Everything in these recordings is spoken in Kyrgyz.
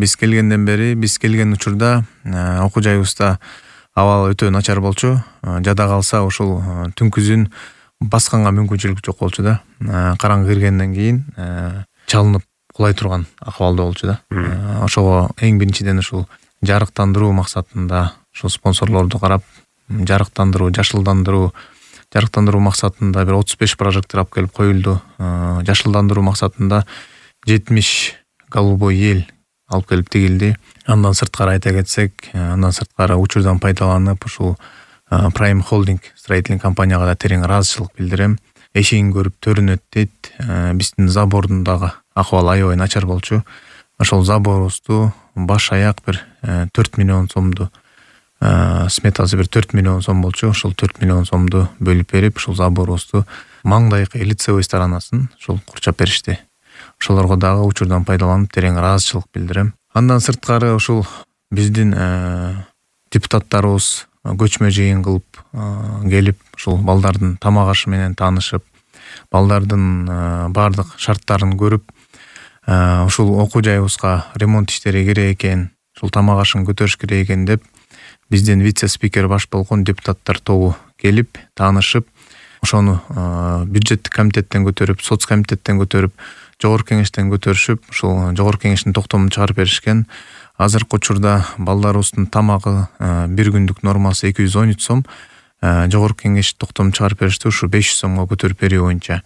Биз келген учурда окуу жайыбызда абал өтө начар болчу. Жада калса ушул түнкүзүн басканга мүмкүнчүлүк жок болчу да. Караңгы киргенден кийин чалынып кулай турган акыбалда болчу да. Ошого эң биринчиден ушул жарыктандыруу максатында ушул спонсорлорду карап, жарыктандыруу максатында бир 35 прожектор алып келип коюлду. Жашылдандыруу максатында 70 голубой эл алып келип тигилди. Андан сырткары айта кетсек, учурдан пайдаланып ушул Prime Holding строительный компанияга да терең ыраазычылык билдирем. Эшигин көрүп төрүнөт дейт. Биздин забордун дагы акыбалы аябай начар болчу. Ошол заборубузду баш аяк бир 4 миллион сомду сметасы бир 4 миллион сом болчу. Ошол 4 миллион сомду бөлүп берип, ушул заборубузду маңдайкы лицевой сторонасын ушул курчап беришти. Ошолорго дагы учурдан пайдаланып терең ыраазычылык билдирем. Андан сырткары ушул биздин депутаттарыбыз көчмө жыйын кылып келип, ушул балдардын тамак ашы менен таанышып, балдардын бардык шарттарын көрүп, ушул окуу жайыбызга ремонт иштери керек экен, ушул тамак ашын көтөрүш керек экен деп, биздин вице-спикер баш болгон депутаттар тобу келип, таанышып, ошону бюджеттик комитеттен көтөрүп, соц комитеттен көтөрүп, жогорку кеңештен көтөрүшүп, ушул жогорку кеңештин токтомун чыгарып беришкен. Азыркы учурда балдарыбыздын тамагы бир күндүк нормасы 213 сом, жогорку кеңеш токтом чыгарып беришти, ушу 500 сомго көтөрүп берүү боюнча.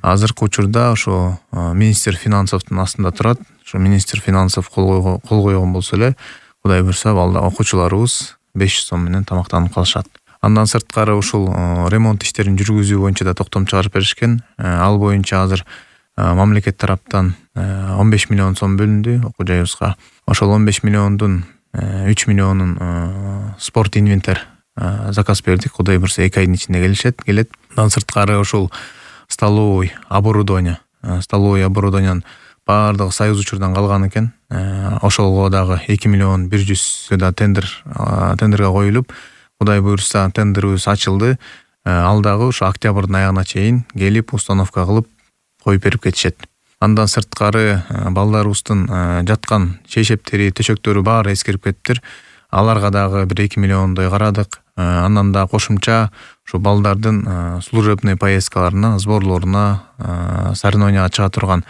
Азыркы учурда ошо министр финансовдун астында турат. Ошо министр финансов кол койгон болсо эле, Кудай буйрса, балда окуучуларыбыз 500 сом менен тамактанып калышат. Андан сырткары ушул ремонт иштерин жүргүзүү боюнча да токтом чыгарып беришкен. Ал боюнча азыр мамлекет тараптан 15 миллион сом бөлүндү окуу жайыбызга. Ошол 15 миллиондун 3 миллионун спорт инвентарь заказ бердик. Кудай буйрса 2 айдын ичинде келет. Андан сырткары ушул столовый оборудованиянын баардыгы союз учурдан калган экен. Ошолго дагы 2 миллион 100 да тендерге коюлуп, Кудай буйрса тендерибиз ачылды. Ал дагы ушу октябрдын аягына чейин келип установка кылып коюп берип кетишет. Андан сырткары балдарыбыздын жаткан шейшептери, төшөктөрү баары эскирип кетиптир. Аларга дагы бир 2 миллиондой карадык. Андан да кошумча ушу балдардын служебный поездкаларына, сборлоруна, соревнованияга чыга турган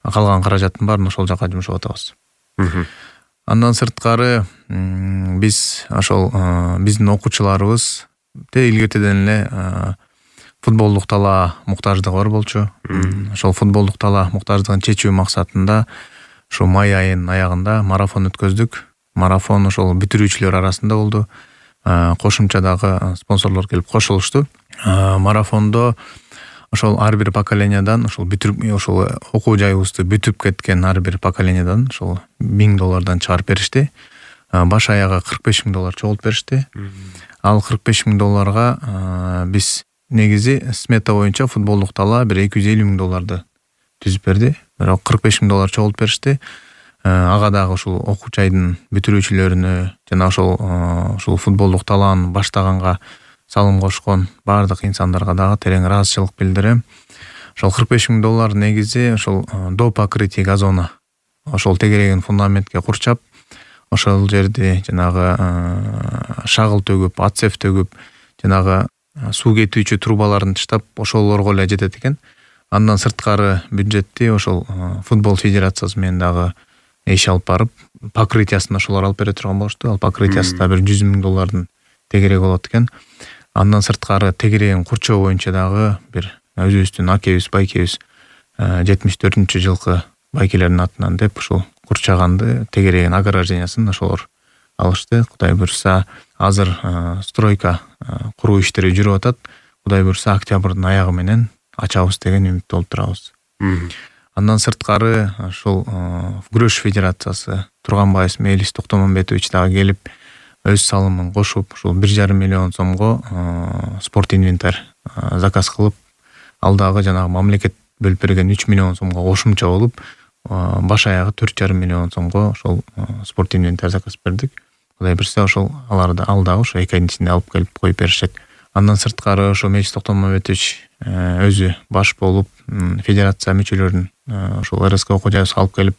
калган каражаттын баарын ошол жака жумшап атабыз. Андан сырткары биз ошол биздин окуучуларыбыз илгертеден эле футболдук талаа муктаждыгы бар болчу. Ошол футболдук талаа муктаждыгын чечүү максатында ушу май айынын аягында марафон өткөздүк. Марафон ошол бүтүрүүчүлөр арасында болду. Кошумча дагы спонсорлор келип кошулушту. Марафондо ошол ар бир поколениядан ошол окуу жайыбызды бүтүп кеткен ар бир поколениядан ошол $1000 чыгарып беришти. Баш аягы $45,000 чогултуп беришти. Ал $45,000 биз негизи смета боюнча футболдук талаа бир $250,000 түзүп берди. Бирок $45,000 чогултуп беришти. Ага дагы ушул окуучу айдын бүтүрүүчүлөрүнө жана ошол футболдук талааны баштаганга салым кошкон баардык инсандарга дагы терең ыраазычылык билдирем. Ошол $45,000 негизи ошол до покрытия газона, ошол тегерегин фундаментке курчап, ошол жерди жанагы шагыл төгүп, отсев төгүп, жанагы суу кетүүчү трубаларын таштап, ошолорго эле жетет экен. Андан сырткары бюджетти ошол футбол федерациясы менен дагы иш алып барып, покрытиясын ошолор алып бере турган болушту. Ал покрытиясы да бир $100,000 тегереги болот экен. Андан сырткары тегерегин курчоо боюнча дагы бир өзүбүздүн акебиз, байкебиз 74-жылкы байкелердин атынан деп ушул курчаганды, тегерегин ограждениясын ошолор алышты. Кудай буйрса азыр стройка куруу иштери жүрүп атат. Кудай буйрса октябрдын аягы менен ачабыз деген үмүттө болуп турабыз. Андан сырткары ушул күрөш федерациясы Турганбаев Мелис Токтомамбетович дагы келип өз салымын кошуп, ушул 1,5 миллион сомго спорт инвентарь заказ кылып, ал дагы жанагы мамлекет бөлүп берген 3 миллион сомго кошумча болуп, баш аягы 4,5 миллион сомго ошол спорт инвентарь заказ бердик. Кудай буйрса ошол ал дагы ошо 2 айдын ичинде алып келип коюп беришет. Андан сырткары ошо Мелис Токтомамбетович өзү баш болуп, федерация мүчөлөрүн ошол РСК окуу жайыбызга алып келип,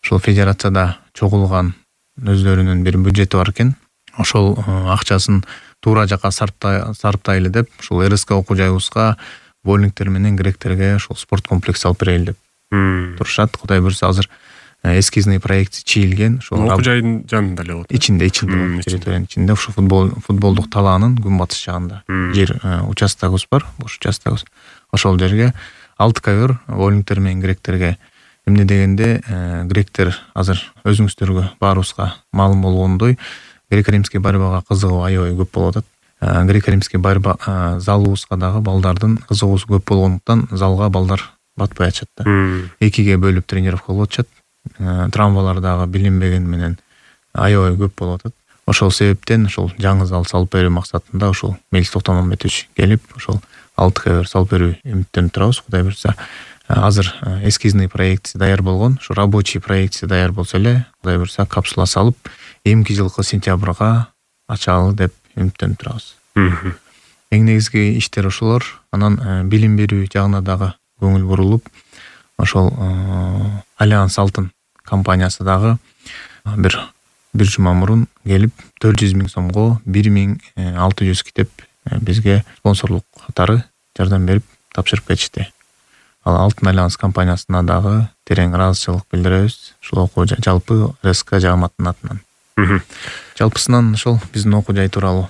ошол федерацияда чогулган өздөрүнүн бир бюджети бар экен. Ошол акчасын туура жака сарптайлы деп ушул РСК окуу жайыбызга боулингтер менен гректерге ошол спорт комплекс алып берели деп турушат. Кудай буюрса азыр эскизный проект чийилген. Ошол окуу жайдын жанында эле болот. Ичинде территориянын ичинде ошо футболдук талаанын күнбатыш жагында жер участогубуз бар, бош участогубуз. Ошол жерге 6 ковер боулингтер менен гректерге. Эмне дегенде гректер азыр өзүңүздөргө баарыбызга маалым болгондой греко-римский борьбага кызыгуу аябай көп болуп атат. Греко-римский борьба залыбызга дагы балдардын кызыгуусу көп болгондуктан залга балдар батпай атышат да. 2ге бөлүп тренировка кылып атышат. Травмалар дагы билинбеген менен аябай көп болуп атат. Ошол себептен ошол жаңы зал салып берүү максатында ошол Мелис Токтомамбетович келип ошол 6 ковер салып берүү үмүттөнүп турабыз. Кудай буюрса азыр эскизный проектиси даяр болгон, ушу рабочий проектиси даяр болсо эле Кудай буюрса капсула салып эмки жылкы сентябрга ачалы деп үмүттөнүп турабыз. Эң негизги иштер ошолор. Анан билим берүү жагына дагы көңүл бурулуп, ошол Альянс Алтын компаниясы дагы бир жума мурун келип 400 000 сомго 1600 китеп бизге спонсорлук катары жардам берип тапшырып кетишти. Ал Алтын Альянс компаниясына дагы терең ыраазычылык билдиребиз. Ушул окуу жалпы РСК жааматынын атынан. Жалпысынан ошол биздин окуу жай тууралуу.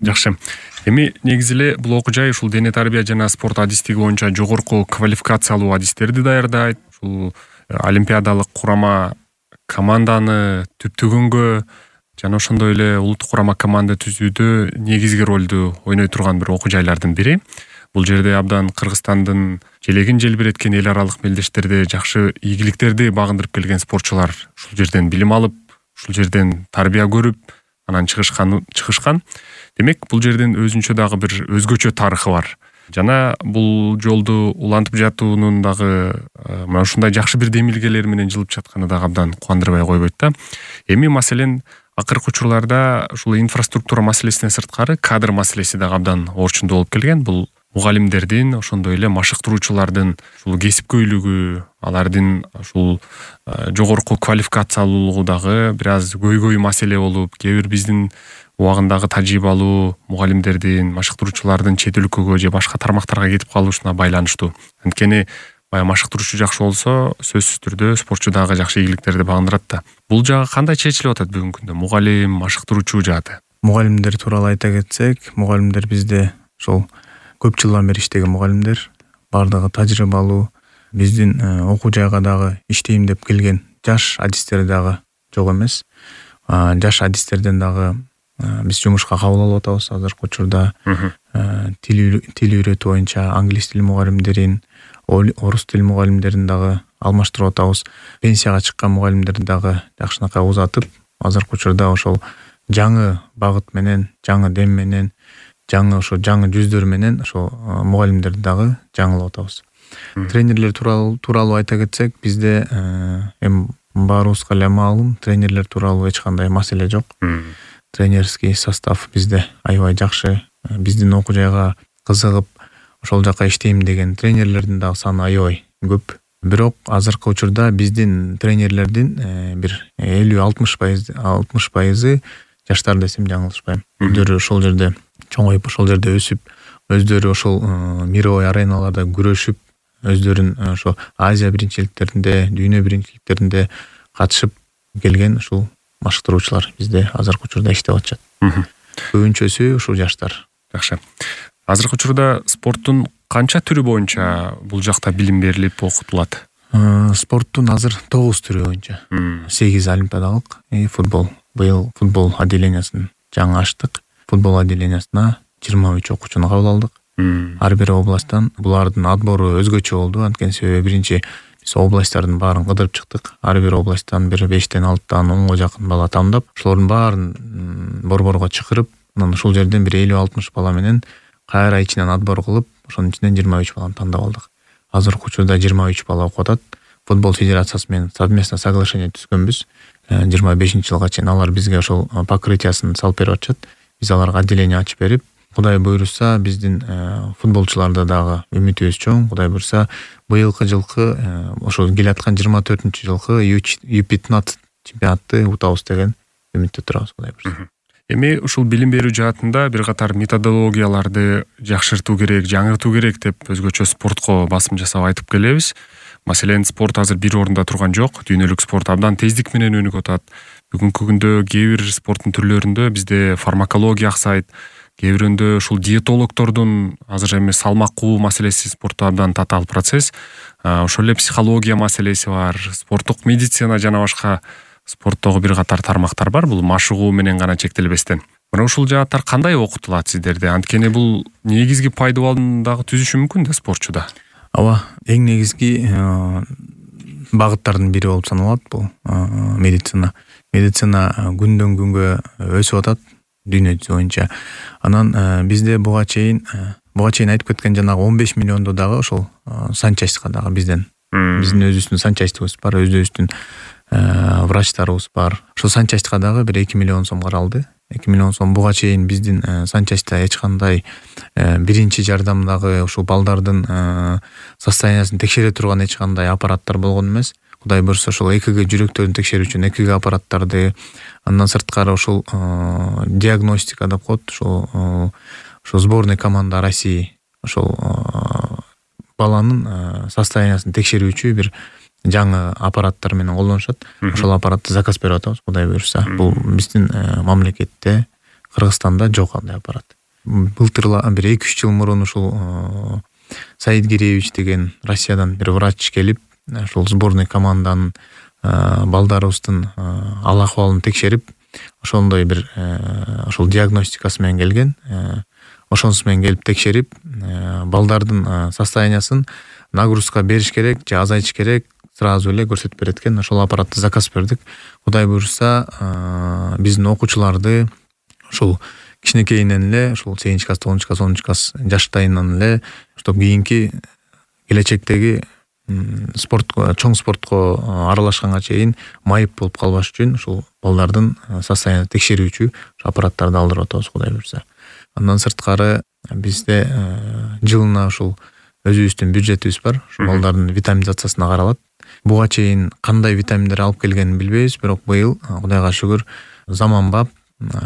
Жакшы. Эми негизи эле бул окуу жай ушул дене тарбия жана спорт адистиги боюнча жогорку квалификациялуу адистерди даярдайт. Ушул олимпиадалык курама команданы түптөгөнгө жана ошондой эле улуттук курама команда түзүүдө негизги ролду ойной турган бир окуу жайлардын бири. Бул жерде абдан Кыргызстандын желегин желбиреткен эл аралык мелдештерди, жакшы ийгиликтерди багындырып келген спортчулар ушул жерден билим алып, ушул жерден тарбия көрүп, анан чыгышкан. Демек, бул жерден өзүнчө дагы бир өзгөчө тарыхы бар. Жана бул жолду улантып жатуунун дагы мына ушундай жакшы бир демилгелер менен жылып жатканы дагы абдан кубандырбай койбойт да. Эми маселен акыркы учурларда ушул инфраструктура маселесинен сырткары кадр маселеси дагы абдан орчундуу болуп келген. Бул мугалимдердин, ошондой эле машыктыруучулардын ушул кесипкөйлүгү, алардын ушул жогорку квалификациялуулугу дагы бир аз көйгөй маселе болуп, кээ бир биздин убагындагы тажрыйбалуу мугалимдердин, машыктыруучулардын чет өлкөгө же башка тармактарга кетип калышына байланыштуу. Анткени баягы машыктыруучу жакшы болсо, сөзсүз түрдө спортчу дагы жакшы ийгиликтерди багындырат да. Бул жагы кандай чечилип атат бүгүнкү күндө? Мугалим, машыктыруучу жааты. Мугалимдер тууралуу айта кетсек, мугалимдер бизде ошол көп жылдан бери иштеген мугалимдер, бардыгы тажрыйбалуу, биздин окуу жайга дагы иштейм деп келген жаш адистер дагы жок эмес. Жаш адистерден дагы биз жумушка кабыл алып атабыз азыркы учурда. Тил үйрөтүү боюнча англис тил мугалимдерин, орус тил мугалимдерин дагы алмаштырып атабыз. Пенсияга чыккан мугалимдерди дагы жакшынакай узатып, азыркы учурда ошол жаңы багыт менен, жаңы дем менен, жаңы жүздөр менен ошо мугалимдерди дагы жаңылап атабыз. Тренерлер тууралуу айта кетсек, бизде эми баарыбызга эле маалым, тренерлер тууралуу эч кандай маселе жок. Тренерский состав бизде аябай жакшы. Биздин окуу жайга кызыгып, ошол жака иштейм деген тренерлердин дагы саны аябай көп. Бирок азыркы учурда биздин тренерлердин бир 50-60% жаштар десем жаңылышпайм. Өздөрү ошол жерде чоңоюп, ошол жерде өсүп, өздөрү ошол мировой ареналарда күрөшүп, өздөрүн ошо Азия биринчиликтеринде, дүйнө биринчиликтеринде катышып келген ушул машыктыруучулар бизде азыркы учурда иштеп атышат. Көбүнчөсү ушул жаштар. Жакшы. Азыркы учурда спорттун канча түрү боюнча бул жакта билим берилип окутулат? Спорттун азыр 9 түрү боюнча. 8 олимпиадалык футбол. Быйыл футбол отделениясын жаңы ачтык. Футбол отделениясына 23 окуучуну кабыл алдык. Ар бир областтан булардын отбору өзгөчө болду. Анткени себеби биринчи биз областтардын баарын кыдырып чыктык. Ар бир областтан бир 5-тен 6-тан 10га жакын бала тамдап, ошолордун баарын борборго чакырып, анан ушул жерден бир 50-60 бала менен кайра ичинен отбор кылып, ошонун ичинен 23 баланы тандап алдык. Азыркы учурда 23 бала окуп атат. Футбол федерациясы менен совместно соглашение түзгөнбүз. 25-жылга чейин алар бизге ошол покрытиясын салып берип атышат. Биз аларга отделение ачып берип, Кудай буйруса биздин футболчуларда дагы үмүтүбүз чоң. Кудай буйруса быйылкы жылкы ошол келаткан 24-жылкы U15 чемпионатты утабыз деген үмүттө турабыз, Кудай буйруса. Эми ушул билим берүү жаатында бир катар методологияларды жакшыртуу керек, жаңыртуу керек деп өзгөчө спортко басым жасап айтып келебиз. Маселен, спорт азыр бир орунда турган жок. Дүйнөлүк спорт абдан тездик менен өнүгүп атат. Бүгүнкү күндө кээ бир спорттун түрлөрүндө бизде фармакология аксайт, кээ бирөндө ушул диетологдордун азыр эми салмак маселеси спортто абдан татаал процесс. Ошол эле психология маселеси бар, спорттук медицина жана башка спорттогу бир катар тармактар бар. Бул машыгуу менен гана чектелбестен. Мына ушул жааттар кандай окутулат сиздерде? Анткени бул негизги пайдаланууну дагы түзүшү мүмкүн да спортчуда. Ооба, эң негизги багыттардын бири болуп саналат бул медицина. Медицина күндөн күнгө өсүп атат дүйнө жүзү боюнча. Анан бизде буга чейин айтып кеткен жанагы 15 миллионду дагы ошол санчастка дагы биздин өзүбүздүн санчастыбыз бар, өзүбүздүн врачтарыбыз бар. Ошол санчастка дагы бир 2 миллион сом каралды. 2 миллион сом буга чейин биздин санчаста эч кандай биринчи жардамдагы ушул балдардын состояниясын текшере турган эч кандай аппараттар болгон эмес. Кудай буйруса ошол ЭКГ жүрөктөрүн текшерүү үчүн ЭКГ аппараттарды, андан сырткары ушул диагностика деп коет, ушул сборный команда России ошол баланын состояниясын текшерүүчү бир жаңы аппараттар менен колдонушат. Ошол аппаратты заказ берип атабыз, Кудай буйруса. Бул биздин мамлекетте, Кыргызстанда жок андай аппарат. Былтыр бир 2-3 жыл мурун ушул Саид Гиреевич деген Россиядан бир врач келип, ошол сборный команданын балдарыбыздын ал акыбалын текшерип, ошондой бир ошол диагностикасы менен келген. Ошонусу менен келип текшерип, балдардын состояниясын нагрузка бериш керек же азайтыш керек сразу эле көрсөтүп берет экен. Ошол аппаратты заказ бердик. Кудай буйруса биздин окуучуларды ушул кичинекейинен эле, ушул 8 класс, 9 класс, 10 класс жаштайынан эле, чтоб кийинки келечектеги чоң спортко аралашканга чейин майып болуп калбаш үчүн ушул балдардын состояниясын текшерүүчү аппараттарды алдырып атабыз, Кудай буйруса. Андан сырткары бизде жылына ушул өзүбүздүн бюджетибиз бар. Ушул балдардын витаминизациясына каралат. Буга чейин кандай витаминдер алып келгенин билбейбиз, бирок быйыл Кудайга шүгүр заманбап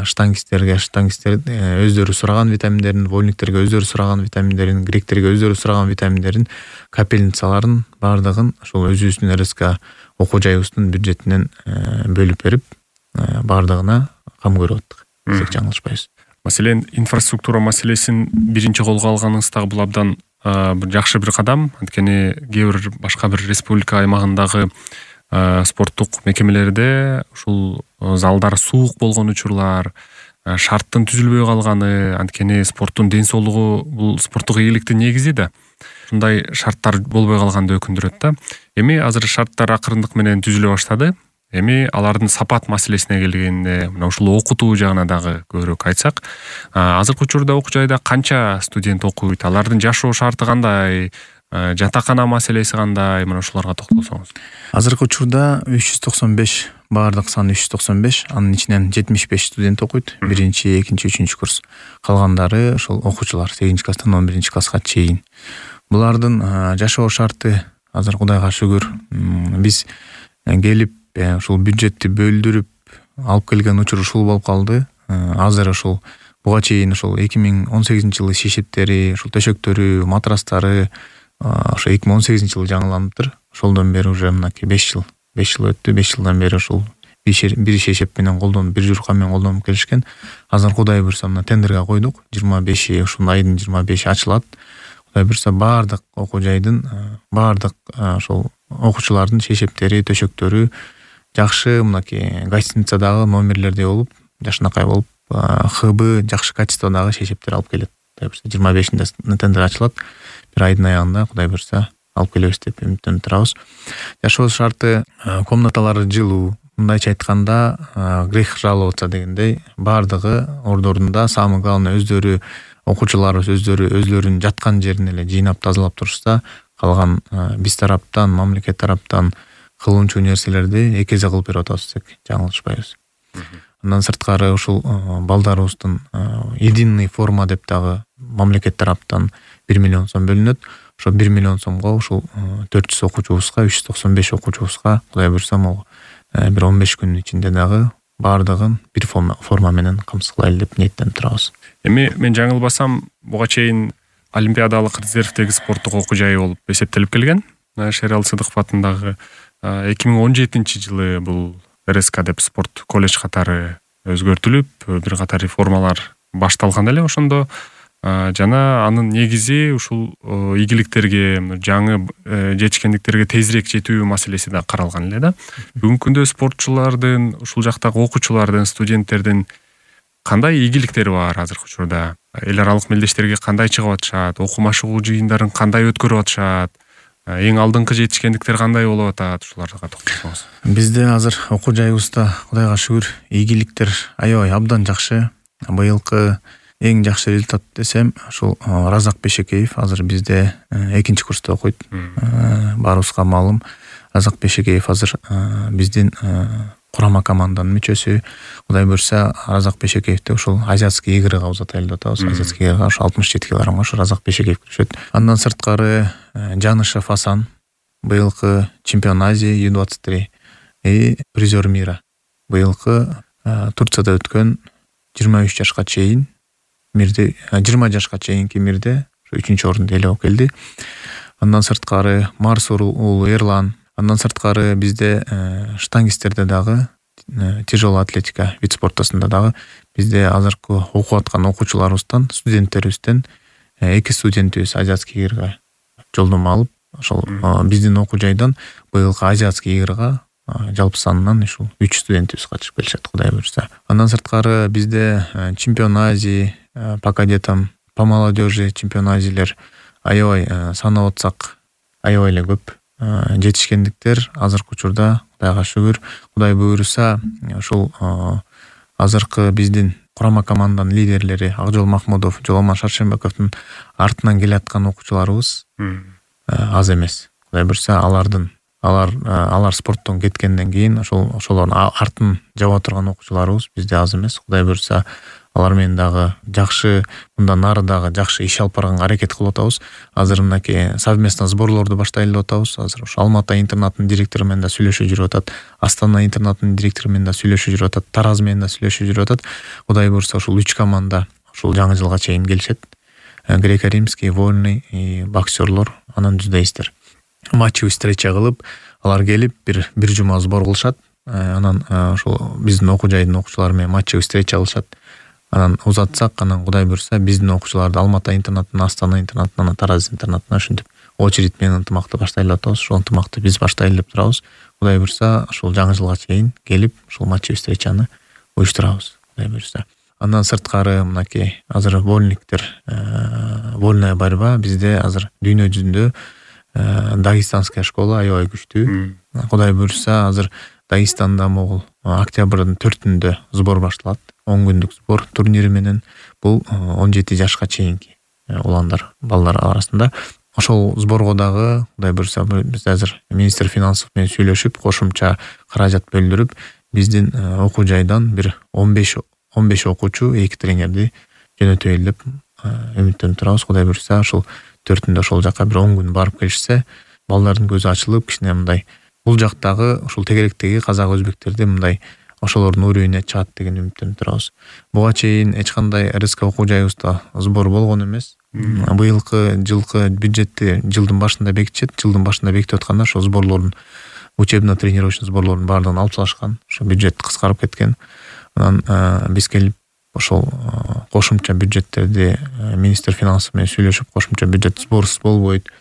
штангисттер өздөрү сураган витаминдерин, вольниктерге өздөрү сураган витаминдерин, гректерге өздөрү сураган витаминдерин, капельницаларын бардыгын ошол өзүбүздүн РСК окуу жайыбыздын бюджетинен бөлүп берип, бардыгына кам көрүп аттык. Десек жаңылышпайбыз. Маселен, инфраструктура маселесин биринчи колго алганыңыз дагы бул абдан бир жакшы бир кадам. Анткени кээ бир башка бир республика аймагындагы спорттук мекемелерде ушул залдар суук болгон учурлар, шарттын түзүлбөй калганы, анткени спорттун ден соолугу бул спорттук ийгиликтин негизи да. Ушундай шарттар болбой калганды өкүндүрөт да. Эми азыр шарттар акырындык менен түзүлө баштады. Эми алардын сапат маселесине келгенде, мына ушул окутуу жагына дагы көбүрөөк айтсак, азыркы учурда окуу жайда канча студент окуйт, алардын жашоо шарты кандай, жатакана маселеси кандай, мына ушуларга токтолсоңуз. Азыркы учурда 395, баардык сан 395, анын ичинен 75 студент окуйт, 1-чи, 2-чи, 3-чү курс. Калгандары ошол окуучулар 8 класстан 11 класска чейин. Булардын жашоо шарты азыр Кудайга шүгүр, биз келип ушул бюджетти бөлдүрүп алып келген учур ушул болуп калды. Азыр ушул буга чейин ушул 2018-жылы шешептери, ушул төшөктөрү, матрастары ошо 2018-жылы жаңыланыптыр. Ошолдон бери уже мынакей 5 жыл өттү. 5 жылдан бери ушул бир шешеп менен колдонуп, бир журкан менен колдонуп келишкен. Азыр Кудай буйруса мына тендерге койдук. 25 ушул айдын 25 ачылат. Кудай буйруса баардык окуу жайдын, баардык ошол окуучулардын шешептери, төшөктөрү жакшы, мынакей гостиницадагы номерлердей болуп, жакшынакай болуп, хыбы жакшы качестводагы шешептер алып келет. Кудай буйруса 25-inde тендер ачылат. Бир айдын аягында Кудай буйруса алып келебиз деп үмүттөнүп турабыз. Жашоо шарты, комнаталары жылуу. Мындайча айтканда, грех жаловаться дегендей, баардыгы ордорунда, самый главный өздөрү окуучуларыбыз өзлөрүнүн жаткан жерин эле жыйнап тазалап турушса, калган биз тараптан, мамлекет тараптан кылынчу нерселерди эки эзе кылып берип атабыз десек жаңылышпайбыз. Андан сырткары ушул балдарыбыздын единый форма деп дагы мамлекет тараптан 1 миллион сом бөлүнөт. Ошо 1 миллион сомго ушул 400 окуучубузга, 395 окуучубузга Кудай буйрса могу бир 15 күнүн ичинде дагы баардыгын бир форма менен камсыздайлы деп ниеттенип турабыз. Эми мен жаңылбасам, буга чейин олимпиадалык резервдеги спорттук окуу жай болуп эсептелип келген. Шерал Сыдыков атындагы 2017-жылы бул РСК деп спорт колледж катары өзгөртүлүп, бир катар реформалар башталган эле ошондо. Жана анын негизи ушул ийгиликтерге, жаңы жетишкендиктерге тезирээк жетүү маселеси да каралган эле да. Бүгүнкү күндө спортчулардын, ушул жактагы окуучулардын, студенттердин кандай ийгиликтери бар азыркы учурда? Эл аралык мелдештерге кандай чыгып атышат? Окуу машыгуу жыйындарын кандай өткөрүп атышат? Эң алдыңкы жетишкендиктер кандай болуп атат? Ушуларга токтолсоңуз. Бизде азыр окуу жайыбызда Кудайга шүгүр ийгиликтер аябай абдан жакшы. Быйылкы эң жакшы результат десем, ушул Разак Бешекеев азыр бизде 2-курста окуйт. Баарыбызга маалым. Разак Бешекеев азыр биздин курама команданын мүчөсү. Кудай буйрса, Разак Бешекеевди ушул азиатский игрыга узатайлы деп атабыз. Азиатский игрыга ошо 67 килограммга ошо Разак Бешекеев киришет. Андан сырткары Жанышев Асан быйылкы чемпион Азии U23 и призер мира. Быйылкы Турцияда өткөн 23 жашка чейин мирде 20 жашка чейинки мирде 3-чү орунду ээлеп келди. Андан сырткары Марсур уулу Эрлан. Андан сырткары бизде штангисттерде дагы тяжелая атлетика вид спортосунда дагы бизде азыркы окуп аткан окуучуларыбыздан, студенттерибизден 2 студентибиз азиатский игрыга жолдомо алып, ошол биздин окуу жайдан быйылкы азиатский игрыга жалпы санынан ушул 3 студентибиз катышып келишет, Кудай буйрса. Андан сырткары бизде чемпион Азии по кадетам, по молодежи чемпион Азийлер аябай санап атсак аябай эле көп. Жетишкендиктер азыркы учурда Кудайга шүгүр, Кудай буйрса, ушул азыркы биздин курама команданын лидерлери Акжол Махмудов, Жоломон Шаршембековдун артынан келаткан окуучуларыбыз аз эмес. Кудай буйрса, алар спорттон кеткенден кийин ошолордун артын жаба турган окуучуларыбыз бизде аз эмес. Кудай буйрса, алар менен дагы жакшы, мындан нары дагы жакшы иш алып барганга аракет кылып атабыз. Азыр мынакей совместно сборлорду баштайлы деп атабыз. Азыр ошо Алматы интернатынын директору менен да сүйлөшүп жүрүп атат. Астана интернатынын директору менен да сүйлөшүп жүрүп атат. Тараз менен да сүйлөшүп жүрүп атат. Кудай буйрса, ушул 3 команда ушул жаңы жылга чейин келишет. Греко-римский, вольный и боксерлор, анан жүздөйсиздер. Матчевый встреча кылып, алар келип бир жума сбор кылышат. Анан ошол биздин окуу жайдын окуучулары менен матчевый встреча кылышат. Анан узатсак, анан Кудай буйрса, биздин окуучуларды Алматы интернатынан, Астана интернатынан, Тараз интернатынан ушинтип очередь менен ынтымакты баштайлы деп атабыз. Ошол ынтымакты биз баштайлы деп турабыз. Кудай буйрса, ушул жаңы жылга чейин келип, ушул матчевый встречаны уюштурабыз. Кудай буйрса. Андан сырткары мынакей азыр вольниктер, вольная борьба бизде азыр дүйнө жүзүндө Дагестанская школа аябай күчтүү. Кудай буйрса, азыр Дагестанда могул октябрдын 4-үндө сбор башталат. 10 күндүк сбор турнири менен бул 17 жашка чейинки уландар, балдар арасында. Ошол сборго дагы Кудай буйрса, биз азыр министр финансов менен сүйлөшүп, кошумча каражат бөлдүрүп, биздин окуу жайдан бир 15 окуучу, 2 тренерди жөнөтөйлү деп үмүттөнүп турабыз. Кудай буйрса, ошол 4-үндө ошол жака бир 10 күн барып келишсе, балдардын көзү ачылып, кичине мындай бул жактагы ушул тегеректеги казак өзбектерди мындай ошолордун уровенине чыгат деген үмүттөнүп турабыз. Буга чейин эч кандай РСК окуу жайыбызда сбор болгон эмес. Быйылкы жылкы бюджетти жылдын башында бекитишет. Жылдын башында бекитип атканда ошол сборлордун, учебно-тренировочный сборлордун баардыгын алып салышкан. Ошо бюджет кыскарып кеткен. Анан биз келип ошол кошумча бюджеттерди министр финансов менен сүйлөшүп, кошумча бюджет сборсуз болбойт.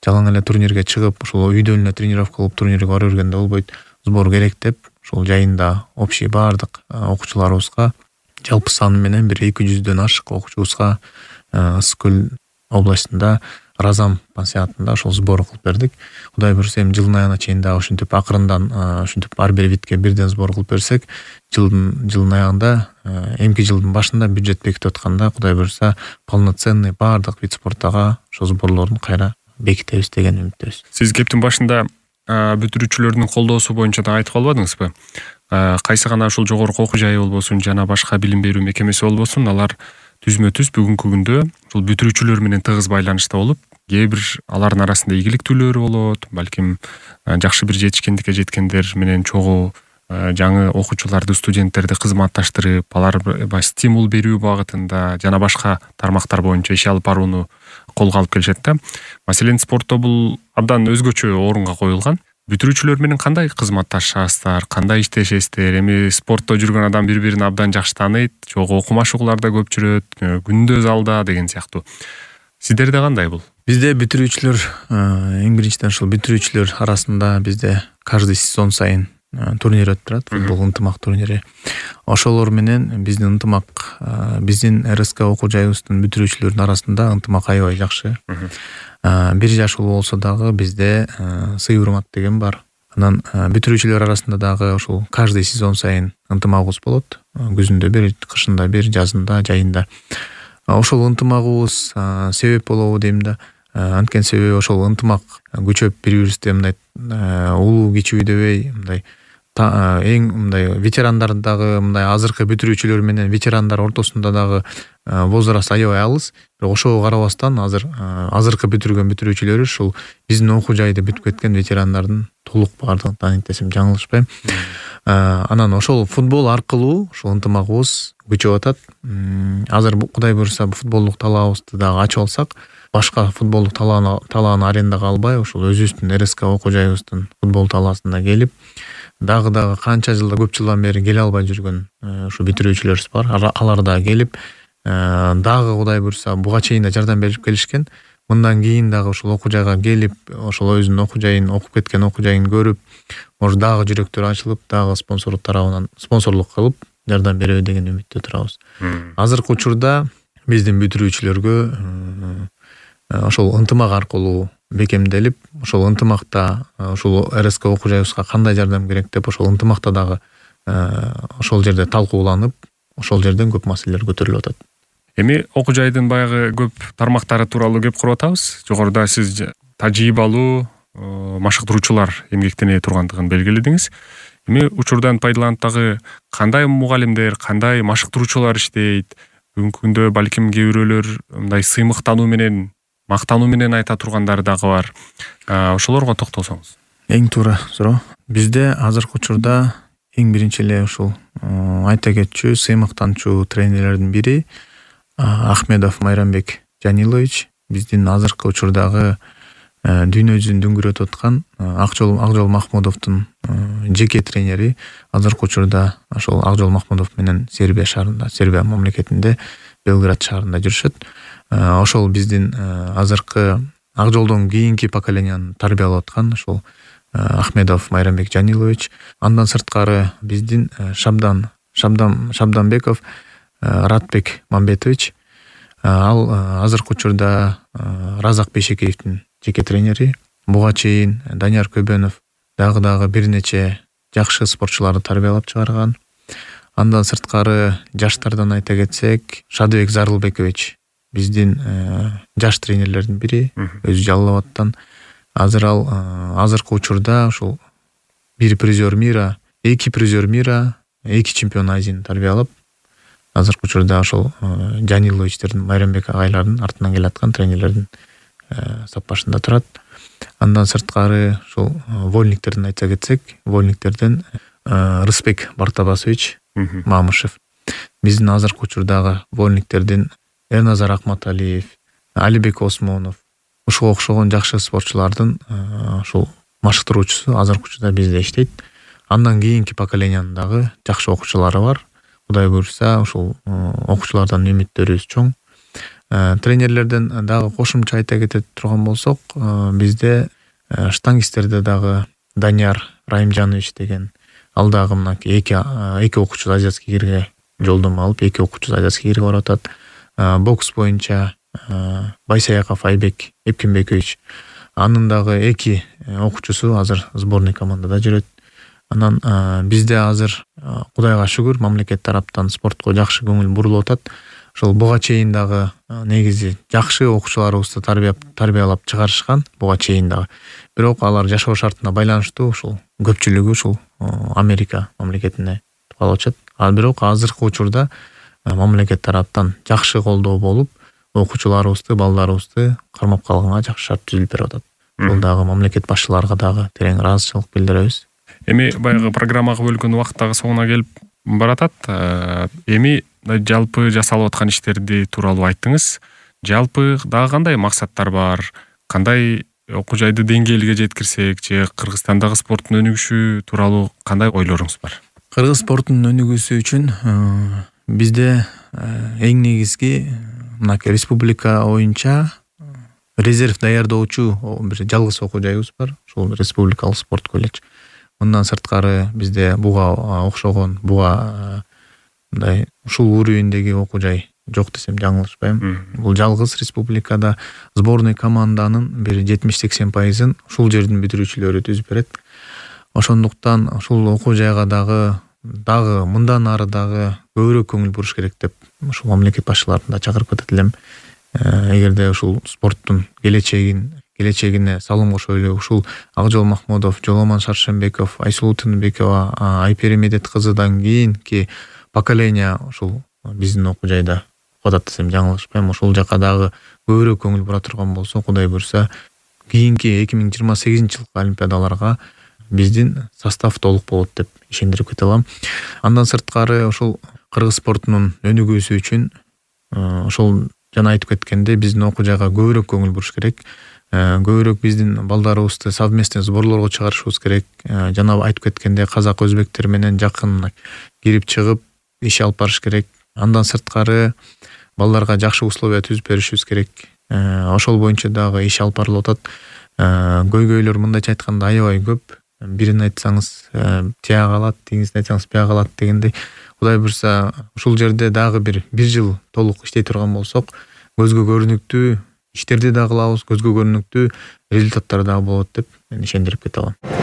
Жалаң эле турнирге чыгып, ошол үйдөн эле тренировка кылып турнирге бара бергенде болбойт. Сбор керек деп, ошол жайында общий баардык окуучуларыбызга жалпы саны менен бир 200дөн ашык окуучубузга Ысык-Көл областында Разам пансионатында ошол сбор кылып бердик. Кудай буйрса, эми жылдын аягына чейин дагы ушинтип акырындан ушинтип ар бир видке бирден сбор кылып берсек, жылдын аягында, эмки жылдын башында бюджет бекитип атканда, Кудай буйрса, полноценный баардык вид спорттага ошол сборлордун кайра бекитебиз деген үмүттөбүз. Сиз кептин башында бүтүрүүчүлөрдүн колдоосу боюнча да айтып калбадыңызбы? кайсы гана ушул жогорку окуу жайы болбосун жана башка билим берүү мекемеси болбосун, алар түзмө түз бүгүнкү күндө ушул бүтүрүүчүлөр менен тыгыз байланышта болуп, кээ бир алардын арасында ийгиликтүүлөр болот, балким жакшы бир жетишкендикке жеткендер менен чогуу жаңы окуучуларды, студенттерди кызматташтырып, аларга стимул берүү багытында жана башка тармактар боюнча иш алып барууну колго алып келишет да. Маселен, спортто бул абдан өзгөчө орунга коюлган. Бүтүрүүчүлөр менен кандай кызматташасыздар, кандай иштешесиздер? Эми спортто жүргөн адам бири-бирин абдан жакшы тааныйт, чогуу окумашуулар да көп жүрөт, күндө залда деген сыяктуу. Сиздерде кандай бул? Бизде бүтүрүүчүлөр, эң биринчиден ушул бүтүрүүчүлөр арасында бизде каждый сезон сайын турнир өтүп турат, футбол ынтымак турнири. Ошолор менен биздин ынтымак, биздин РСК окуу жайыбыздын бүтүрүүчүлөрүнүн арасында ынтымак аябай жакшы. Бир жаш улуу болсо дагы бизде сый урмат деген бар. Анан бүтүрүүчүлөр арасында дагы ушул каждый сезон сайын ынтымагыбыз болот. Күзүндө бир, кышында бир, жазында, жайында. Ошол ынтымагыбыз себеп болобу дейм да. Анткени себеби ошол ынтымак күчөп бири-бирибизди мындай улуу кичүү дебей, мындай эң мындай ветерандар дагы, мындай азыркы бүтүрүүчүлөр менен ветерандар ортосунда дагы возраст аябай алыс. Бирок ошого карабастан азыркы бүтүргөн бүтүрүүчүлөр ушул биздин окуу жайды бүтүп кеткен ветерандардын толук баардыгын тааныйт десем жаңылышпайм. Анан ошол футбол аркылуу ушул ынтымагыбыз күчөп атат. Азыр Кудай буйруса футболдук талаабыбызды дагы ачып алсак, башка футболдук талааны арендага албай, ушул өзүбүздүн РСК окуу жайыбыздын футбол талаасына келип, дагы канча жылда, көп жылдан бери келе албай жүргөн ушу бүтүрүүчүлөрүбүз бар. Алар да келип, дагы Кудай буйруса буга чейин да жардам берип келишкен. Мындан кийин дагы ушул окуу жайга келип, ошол өзүнүн окуу жайын, окуп кеткен окуу жайын көрүп, может дагы жүрөктөр ачылып, дагы спонсорлук тарабынан спонсорлук кылып жардам береби деген үмүттө турабыз. Азыркы учурда биздин бүтүрүүчүлөргө ошол ынтымак аркылуу бекемделип, ошол ынтымакта ошол РСК окуу жайыбызга кандай жардам керек деп, ошол ынтымакта дагы ошол жерде талкууланып, ошол жерден көп маселелер көтөрүлүп атат. Эми окуу жайдын баягы көп тармактары тууралуу кеп куруп атабыз. Жогоруда сиз тажрыйбалуу машыктыруучулар эмгектене тургандыгын белгиледиңиз. Эми учурдан пайдаланып дагы кандай мугалимдер, кандай машыктыруучулар иштейт? Бүгүнкү күндө балким кээ бирөөлөр мындай сыймыктануу менен, мактануу менен айта тургандар дагы бар. Ошолорго токтолсоңуз. Эң туура суроо. Бизде азыркы учурда эң биринчи эле ушул айта кетчү, сыймыктанчу тренерлердин бири Ахмедов Майрамбек Жанилович, биздин азыркы учурдагы дүйнө жүзүн дүңгүрөтүп аткан Акжол Махмудовдун жеке тренери. Азыркы учурда ошол Акжол Махмудов менен Сербия шаарында, Сербия мамлекетинде, Белград шаарында жүрүшөт. Ошол биздин азыркы Акжолдон кийинки поколенияны тарбиялап аткан ошол Ахмедов Майрамбек Жанилович. Андан сырткары биздин Шабданбеков Ратбек Мамбетович. Ал азыркы учурда Разак Бейшекеевдин жеке тренери. Буга чейин Данияр Көбөнов дагы бир нече жакшы спортчуларды тарбиялап чыгарган. Андан сырткары жаштардан айта кетсек, Шадыбек Зарылбекович биздин жаш тренерлердин бири, өзү Жалал Абадтан. Азыр ал азыркы учурда ушул бир призер мира, эки призер мира, эки чемпион Азияны тарбиялап, азыркы учурда ошол Жаниловичтердин, Майрамбек агайлардын артынан келаткан тренерлердин саппашында турат. Андан сырткары ушул вольниктерден айта кетсек, вольниктерден Рысбек Бартабасович Мамышев. Биздин азыркы учурдагы вольниктердин Эрназар Акматалиев, Алибек Осмонов, ушуга окшогон жакшы спортчулардын ушул машыктыруучусу азыркы учурда бизде иштейт. Андан кийинки поколениянын дагы жакшы окуучулары бар. Кудай буйруса ушул окуучулардан үмүттөрүбүз чоң. Тренерлерден дагы кошумча айта кетет турган болсок, бизде штангисттерде дагы Данияр Райымжанович деген, ал дагы мынакей эки окуучу азиатский кирге жолдомо алып, эки окуучу азиатский кирге барып атат. Бокс боюнча Байсаяков Айбек Эпкенбекович, анын дагы эки окуучусу азыр сборный командада жүрөт. Анан бизде азыр Кудайга шүгүр, мамлекет тараптан спортко жакшы көңүл бурулуп атат. ошол буга чейин дагы негизи жакшы окуучуларыбызды тарбиялап чыгарышкан буга чейин дагы. Бирок алар жашоо шартына байланыштуу ушул көпчүлүгү ушул Америка мамлекетине калышат. Бирок азыркы учурда мамлекет тараптан жакшы колдоо болуп, окуучуларыбызды, балдарыбызды кармап калганга жакшы шарт түзүлүп берип атат. Бул дагы мамлекет башчыларга дагы терең ыраазычылык билдиребиз. Эми баягы программага бөлгөн убакыт дагы соңуна келип баратат. Эми жалпы жасалып аткан иштерди тууралуу айттыңыз. Жалпы дагы кандай максаттар бар? Кандай окуу жайды деңгээлге жеткирсек же Кыргызстандагы спорттун өнүгүшү тууралуу кандай ойлоруңуз бар? Кыргыз спортунун өнүгүүсү үчүн бизде эң негизги мынакей республика боюнча резерв даярдоочу бир жалгыз окуу жайыбыз бар. Ушул республикалык спорт колледж. Мындан сырткары бизде буга окшогон мындай ушул уровендеги окуу жай жок десем жаңылышпайм. Бул жалгыз республикада сборный команданын бир 70-80% ушул жердин бүтүрүүчүлөрү түзүп берет. Ошондуктан ушул окуу жайга дагы мындан ары дагы көбүрөөк көңүл буруш керек деп ушул мамлекет башчыларын да чакырып кетет элем. Эгерде ушул спорттун келечегине салым кошо эле ушул Акжол Махмудов, Жоломон Шаршембеков, Айсулуу Тыныбекова, Айпери Медет кызыдан кийинки поколение ушул биздин окуу жайда окутат десем жаңылышпайм. Ушул жака дагы көбүрөөк көңүл бура турган болсо, Кудай буйрса, кийинки 2028-жылкы олимпиадаларга биздин состав толук болот деп ишендирип кете алам. Андан сырткары ушул кыргыз спортунун өнүгүүсү үчүн ошол жана айтып кеткендей биздин окуу жайга көбүрөөк көңүл буруш керек. Көбүрөөк биздин балдарыбызды совместный сборлорго чыгарышыбыз керек. Жана айтып кеткендей казак өзбектер менен жакын кирип чыгып иш алып барыш керек. Андан сырткары балдарга жакшы условия түзүп беришибиз керек. Ошол боюнча дагы иш алып барылып атат. Көйгөйлөр мындайча айтканда аябай көп. Бирин айтсаңыз тия калат, тигинисин айтсаңыз бия калат дегендей. Кудай буйрса, ушул жерде дагы бир жыл толук иштей турган болсок, көзгө көрүнүктүү иштерди да кылабыз, көзгө көрүнүктүү результаттар дагы болот деп мен ишендирип кете алам.